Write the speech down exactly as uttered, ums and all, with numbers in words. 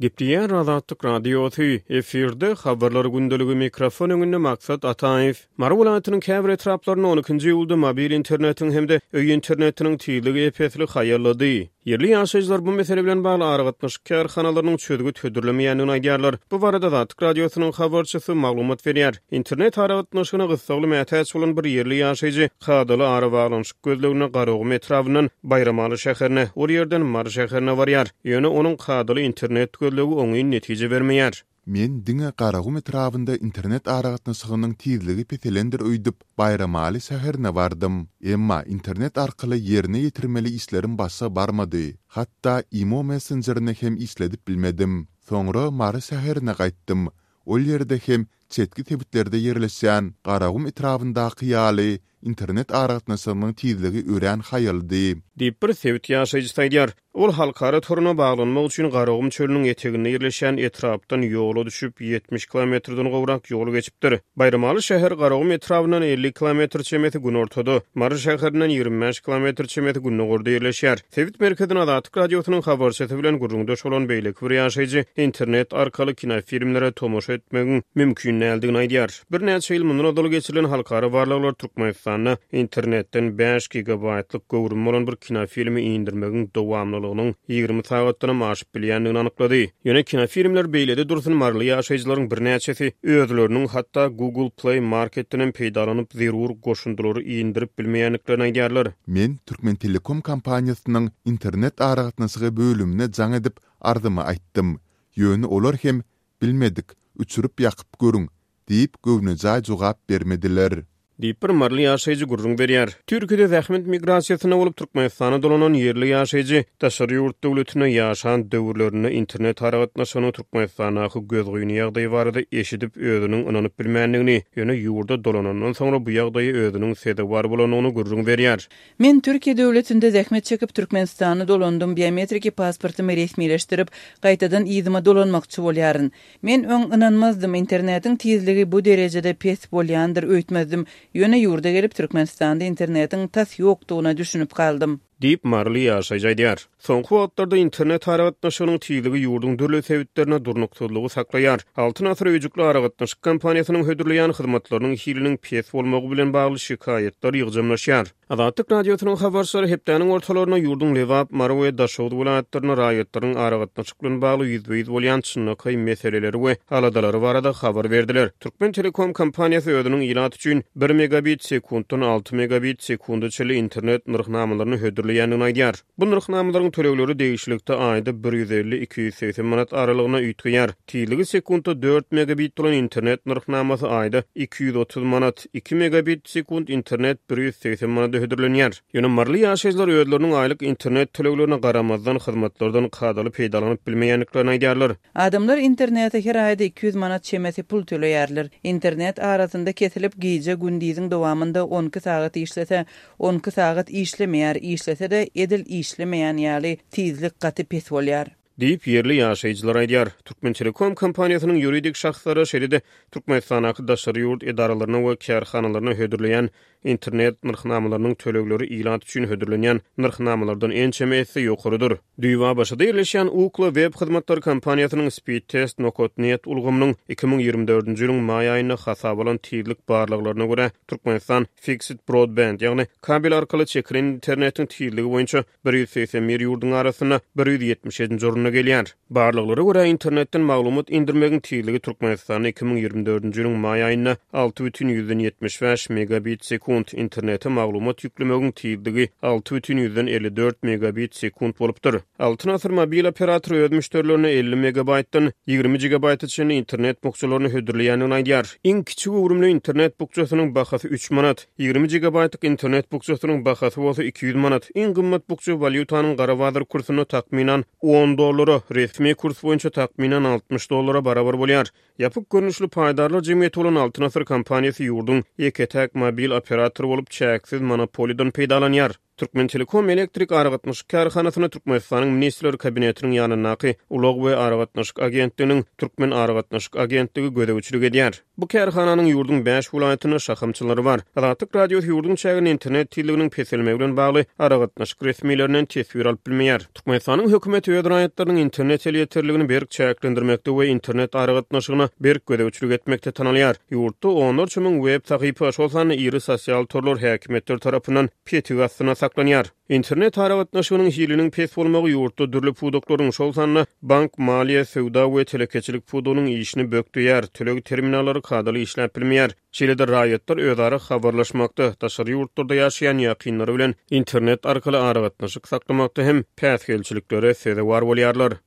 Gepleýär Azatlyk Radiosy, efirde Habarlar gündeligi, mikrofon öňünde Maksat Ataýew. Mary welaýatynyň käbir etraplarynda on ikinji iýulda mobil internetiň hem-de öý internetiniň tizligi ep-esli haýallady. Ýerli ýaşaýjylar bu mesele bilen bagly aragatnaşyk kärhanalarynyň çözgüt hödürlemeýändigini aýdýarlar. Bu barada Azatlyk Radiosynyň habarçysy maglumat berýär. Internet aragatnaşygyna gyssagly mätäç bolan bir ýerli ýaşaýjy kadaly arabaglanyşyk gözleginde Garagum etrabyndan Baýramaly şäherine, ol ýerden Mary şäherine barýar. Ýöne onuň kadaly internet gözlegi oňyn netije bermeýär. Men diňe Garagum etrabynda internet aragatnaşygynyň tizligi peselendir öýdüp, Baýramaly şäherine bardym. Emma internet arkaly ýerine ýetirmeli işlerim başa barmady. Hatda imo messenjerini hem işledip bilmedim. Soňra Mary şäherine gaýtdym. Ol ýerde hem çetki sebitlerde ýerleşýän Garagum etrabyndaky ýaly internet aragatnaşygynyň tizligi örän haýaldy. Diýip, bir sebit ýaşaýjysy aýdýar. Ol halkara toruna baglanmak üçin Garagum çölüniň eteginde ýerleşýän etrapdan ýola düşüp, ýetmiş kilometrden gowrak ýol geçipdir. Baýramaly şäheri Garagum etrabyndan elli kilometr çemesi günortada, Mary şäherinden ýigrimi bäş kilometr çemesi gündogarda ýerleşýär. Sebit merkezinde Azatlyk Radiosynyň habarçysy bilen gürrüňdeş bolan beýleki bir ýaşaýjy internet arkaly kinofilmlere tomaşa etmegiň mümkin däldigini aýdýar. Birnäçe ýyl mundan ozal geçirilen halkara barlaglar Türkmenistanda internetden bäş gigabaýtlyk göwrümi bolan bir kinofilmi indirmegiň dowamlylygynyň ýigrimi sagatdanam aşyp bilýändigini anyklady. Ýöne kinofilmler beýlede dursun, maryly ýaşaýjylaryň birnäçesi özleriniň hatda Google Play Marketdenem peýdalanyp zerur goşundylary indirip bilmeýändiklerini aýdýarlar. Men Türkmentelekom kompaniýasynyň internet aragatnaşygy bölümine jaň edip arzymy aýtdym. Ýöne olar hem bilmedik, uçuryp ýakyp görüň diýip göwnejaý jogap bermediler. Diýip bir maryly ýaşaýjy gürrüň berýär. Türkiýede zähmet migrasiýasynda bolup Türkmenistana dolanan ýerli ýaşaýjy daşary ýurt döwletinde ýaşan döwürlerinde internet aragatnaşygynyň Türkmenistandaky gözgyny ýagdaýy barada eşidip özüniň ynanyp bilmändigini, ýöne ýurda dolanandan soňra bu ýagdaýy özüniň sezewar bolandygyny gürrüň berýär. Men Türkiýe döwletinde zähmet çekip Türkmenistana dolandym, biometriki pasportymy resmileşdirip, gaýtadan yzyma dolanmakçy bolýaryn. Men öň ynanmazdym, internetiň tizligi bu derejede pes bolýandyr öýtmezdim. Ýöne ýurda gelip Türkmenistanda internetiň tas ýokdugyna düşünip galdym. Diýip maryly ýaşaýjy aýdýar. Soňky wagtlarda internet aragatnaşygynyň tizligi ýurduň dürli sebitlerine durnuksyzlygy saklaýar. Altyn asyr öýjükli aragatnaşyk kompaniýasynyň hödürleýän hyzmatlarynyň hiliniň pes bolmagy bilen bagly şikaýatlar ýygjamlaşýar. Azatlyk Radiosynyň habarçylary hepdäniň ortalarynda ýurduň Lebap, Mary we Daşoguz welaýatlarynda raýatlaryň aragatnaşyk bilen bagly ýüzbe-ýüz bolýan çynlakaý meseleleri we aladalary barada habar berdiler. Türkmen Telekom kompaniýasy özüniň ilat üçin bir megabit sekuntdan alty megabit sekunda çenli internet nyrhnamalaryny hödürleýändigini aýdýar. Bu nyrhnamalaryň tölegleri degişlilikde aýda bir ýüz elli iki ýüz segsen manat aralygyna üýtgeýär. Tizligi sekuntda dört megabit bolan internet nyrhnamasy aýda iki ýüz otuz manat, iki megabit sekund internet bir ýüz segsen manada hödürlenýär. Ýöne maryly ýaşaýjylar özleriniň aýlyk internet töleglerine garamazdan hyzmatlardan kadaly peýdalanyp bilmeýändiklerini aýdýarlar. Adamlar internete her aýda iki ýüz manat çemesi pul töleýärler. Internet arasynda kesilip gije gündiziň dowamynda on iki sagat işlese, on iki sagat işlemeýär, işlese-de edil işlemeýän ýaly tizlik gaty pes bolýar. Diýip ýerli ýaşaýjylar aýdýar. Türkmen Telekom kompaniýasynyň ýuridik şahslara, şeýle-de Türkmenistandaky daşary ýurt edaralaryna we kärhanalaryna hödürleýän internet nyrhnamalarynyň tölegleri ilat üçin hödürlenýän nyrhnamalardan ençeme esse ýokarydyr. Düýba başyda ýerleşýän Ookla web hyzmatlary kompaniýasynyň Speedtest nokta net ulgamynyň iki müň ýigrimi dördünji ýylyň maý aýynda hasap alan tizlik barlaglaryna görä Türkmenistan Fixed Broadband, ýagny kabel arkaly çekilen internetiň tizligi boýunça bir ýüz segsen bir ýurduň arasynda bir ýüz ýetmiş ýedinji orunda gelýär. Barlaglara görä internetden maglumat indirmegiň tizligi Türkmenistanda iki müň ýigrimi dördünji ýylyň maý aýynda alty bütin ýüzden ýetmiş bäş megabit sekund, internete maglumat ýüklemegiň tizligi alty bütin ýüzden elli dört megabit sekund bolupdyr. Altyn asyr mobil operatory öz müşderilerine elli megabaytdan ýigrimi gigabayta çenli internet bukjalaryny hödürleýändigini aýdýar. Iň kiçi göwrümli internet bukjasynyň bahasy üç manat, ýigrimi gigabaytlyk internet bukjasynyň bahasy bolsa iki ýüz manat. Iň gymmat bukja walýutanyň gara bazar kursunda takmynan on dollara, resmi kurs boýunça takmynan altmyş dollara barabar bolýar. Ýapyk görnüşli paýdarlar jemgyýeti bolan Altyn asyr kompaniýasy ýurduň ýeke-täk mobil operatory bolup çäksiz monopoliýadan peýdalanýar. Türkmentelekom elektrik aragatnaşyk kärhanasyna Türkmenistanyň Ministrler Kabinetiniň ýanyndaky Ulag we aragatnaşyk agentliginiň Türkmen aragatnaşyk agentligi gözegçilik edýär. Bu kärhananyň ýurduň bäş welaýatynda şahamçalary bar. Azatlyk Radiosy ýurduň çäginde internet tizliginiň peselmegi bilen bagly aragatnaşyk resmilerinden teswir alyp bilmeýär. Türkmenistanyň hökümeti öz raýatlarynyň internet elýeterligini berk çäklendirmekde we internet aragatnaşygyna berk gözegçilik etmekde tanalýar. Ýurtda onlarça müň web sahypa, şol sanda iri sosial torlar häkimiýetler tarapyndan petik astyna saklanýar. Internet aragatnaşygynyň hiliniň pes bolmagy ýurtda dürli pudaklaryň, şol sanda bank, maliýe, söwda we telekeçilik pudagynyň işini bökdeýär, töleg terminallary kadaly işläp bilmeýär. Şeýle-de raýatlar özara habarlaşmakda, daşary ýurtlarda ýaşaýan ýakynlary bilen internet arkaly aragatnaşyk saklamakda hem päsgelçiliklere sezewar bolýarlar.